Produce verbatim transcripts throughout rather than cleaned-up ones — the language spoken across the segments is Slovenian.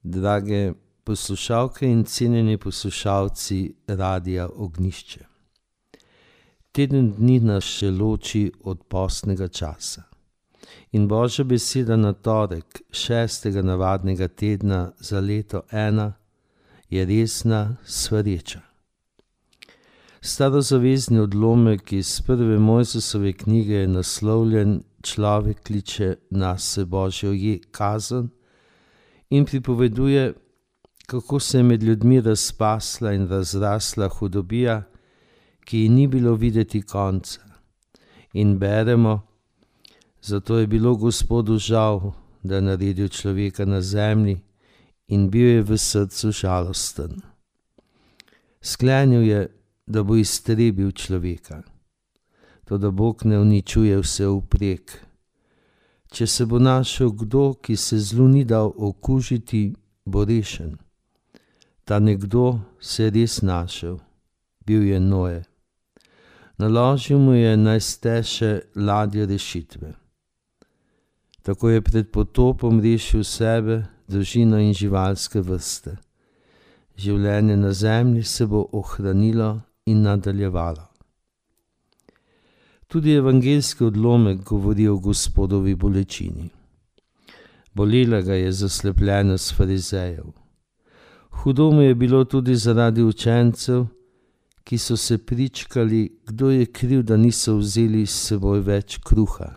Drage poslušalke in cenjeni poslušalci Radia Ognjišče. Teden dni nas še loči od postnega časa. In Božja beseda na torek šestega navadnega tedna za leto ena je resna svareča. Starozavezni odlomek iz prve Mojzesove knjige je naslovljen Človek kliče nase Božjo je kazen in pripoveduje, kako se je med ljudmi razpasla in razrasla hudobija, ki ji ni bilo videti konca. In beremo, zato je bilo Gospodu žal, da je naredil človeka na zemlji in bil je v srcu žalosten. Sklenil je, da bo iztrebil človeka. Toda Bog ne uničuje vse vprek. Če se bo našel kdo, ki se zlu ni dal okužiti, bo rešen. Ta nekdo se je res našel, bil je Noe. Naložil mu je naj steše ladje rešitve. Tako je pred potopom rešil sebe, družino in živalske vrste. Življenje na zemlji se bo ohranilo in nadaljevalo. Tudi evangeljski odlomek govori o Gospodovi bolečini. Bolela ga je zaslepljenost farizejev. Hudo mu je bilo tudi zaradi učencev, ki so se pričkali, kdo je kriv, da niso vzeli s seboj več kruha.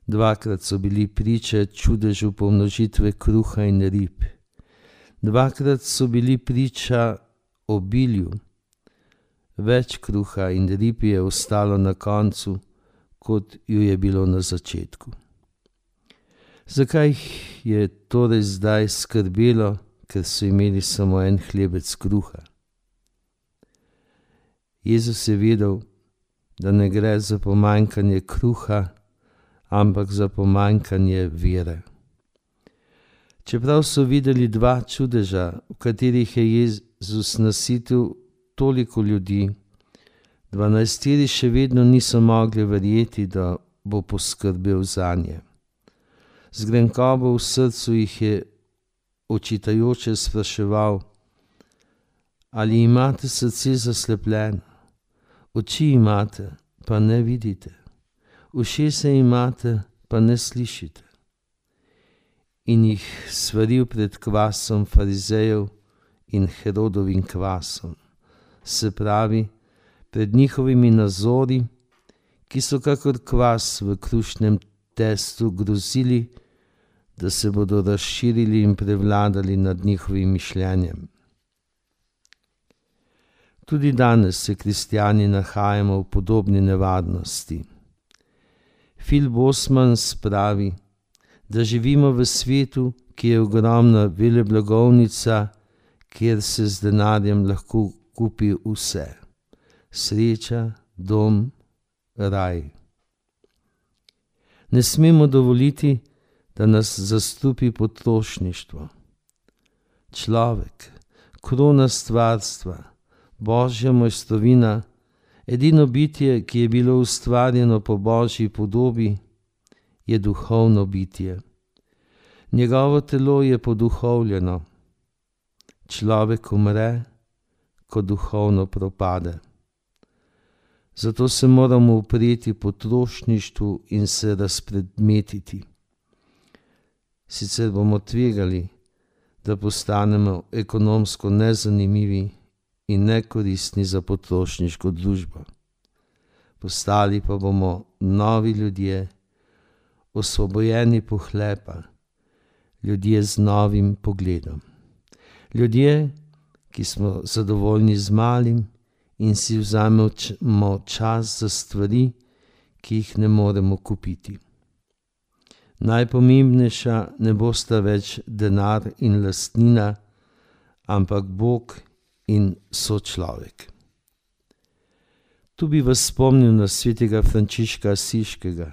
Dvakrat so bili priče čudežu pomnožitve kruha in rib. Dvakrat so bili priča obilju. Več kruha in rib je ostalo na koncu, kot ju je bilo na začetku. Zakaj je torej zdaj skrbelo, ker so imeli samo en hlebec kruha? Jezus je vedel, da ne gre za pomanjkanje kruha, ampak za pomanjkanje vere. Čeprav so videli dva čudeža, v katerih je Jezus nasitil toliko ljudi, dvanajsterič še vedno niso mogli verjeti, da bo poskrbel zanje. Z grenkobo v srcu jih je očitajoče spraševal: ali imate srce zaslepljeno? Oči imate, pa ne vidite. Ušesa imate, pa ne slišite. In jih svaril pred kvasom farizejev in Herodovim kvasom. Se pravi, pred njihovimi nazori, ki so kakor kvas v krušnem testu grozili, da se bodo razširili in prevladali nad njihovim mišljenjem. Tudi danes se kristjani nahajamo v podobni nevarnosti. Phil Bosmans pravi, da živimo v svetu, ki je ogromna veleblagovnica, kjer se z denarjem lahko kupi vse. Sreča, dom, raj. Ne smemo dovoliti, da nas zastrupi potrošništvo. Človek, krona stvarstva, Božja mojstrovina, edino bitje, ki je bilo ustvarjeno po Božji podobi, je duhovno bitje. Njegovo telo je poduhovljeno. Človek umre, ko duhovno propade. Zato se moramo upreti potrošništvu in se razpredmetiti. Sicer bomo tvegali, da postanemo ekonomsko nezanimivi in nekoristni za potrošniško družbo. Postali pa bomo novi ljudje, osvobojeni pohlepa, ljudje z novim pogledom. Ljudje, ki smo zadovoljni z malim in si vzamemo čas za stvari, ki jih ne moremo kupiti. Najpomembnejša ne bosta več denar in lastnina, ampak Bog in sočlovek. Tu bi vas spomnil na svetega Frančiška Asiškega,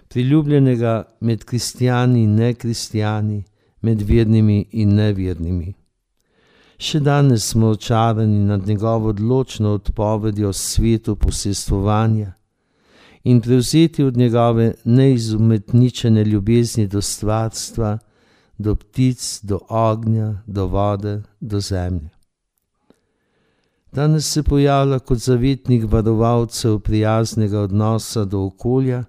priljubljenega med kristjani in nekristjani, med vernimi in nevernimi. Še danes smo očarani nad njegovo odločno odpovedjo svetu posestvovanja in prevzeti od njegove neizumetničene ljubezni do stvarstva, do ptic, do ognja, do vode, do zemlje. Danes se pojavlja kot zavetnik varovalcev prijaznega odnosa do okolja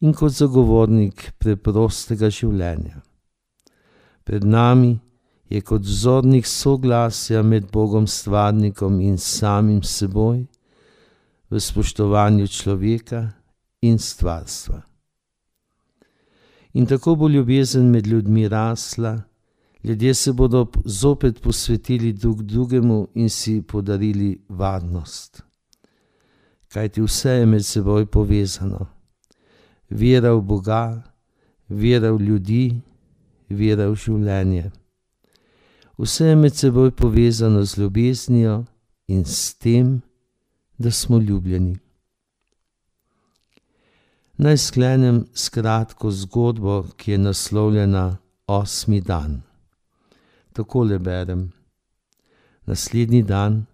in kot zagovornik preprostega življenja. Pred nami je kot vzornik soglasja med Bogom stvarnikom in samim seboj v spoštovanju človeka in stvarstva. In tako bo ljubezen med ljudmi rasla, ljudje se bodo zopet posvetili drug drugemu in si podarili varnost. Kajti vse je med seboj povezano. Vera v Boga, vera v ljudi, vera v življenje. Vse je med seboj povezano z ljubeznijo in s tem, da smo ljubljeni. Naj sklenem s kratko zgodbo, ki je naslovljena Osmi dan. Takole berem. Naslednji dan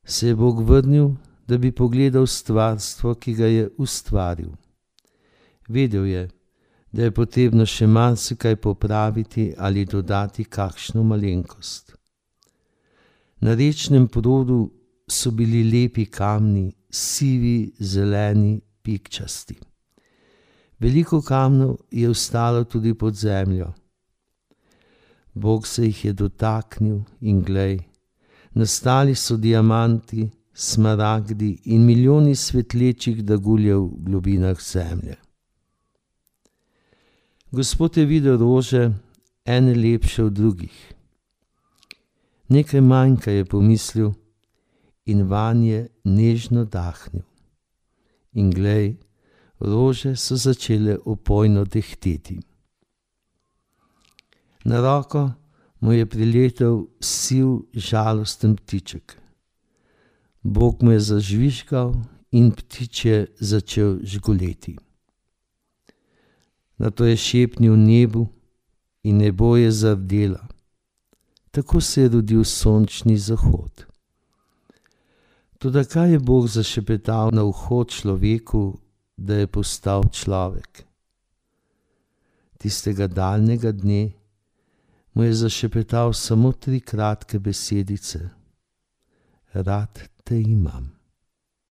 se je Bog vrnil, da bi pogledal stvarstvo, ki ga je ustvaril. Vedel je, da je potrebno še marsikaj popraviti ali dodati kakšno malenkost. Na rečnem produ so bili lepi kamni, sivi, zeleni, pikčasti. Veliko kamnov je ostalo tudi pod zemljo. Bog se jih je dotaknil in glej, nastali so diamanti, smaragdi in milijoni svetlečih daguljev v globinah zemlje. Gospod je videl rože, ene lepše od drugih. Nekaj manjka, je pomislil, in vanje nežno dahnil. In glej, rože so začele opojno dehteti. Na roko mu je priletel siv, žalosten ptiček. Bog mu je zažvižgal in ptič je začel žgoleti. Nato je šepnil nebu in nebo je zardelo. Tako se je rodil sončni zahod. Toda kaj je Bog zašepetal na uho človeku, da je postal človek? Tistega daljnega dne mu je zašepetal samo tri kratke besedice. Rad te imam.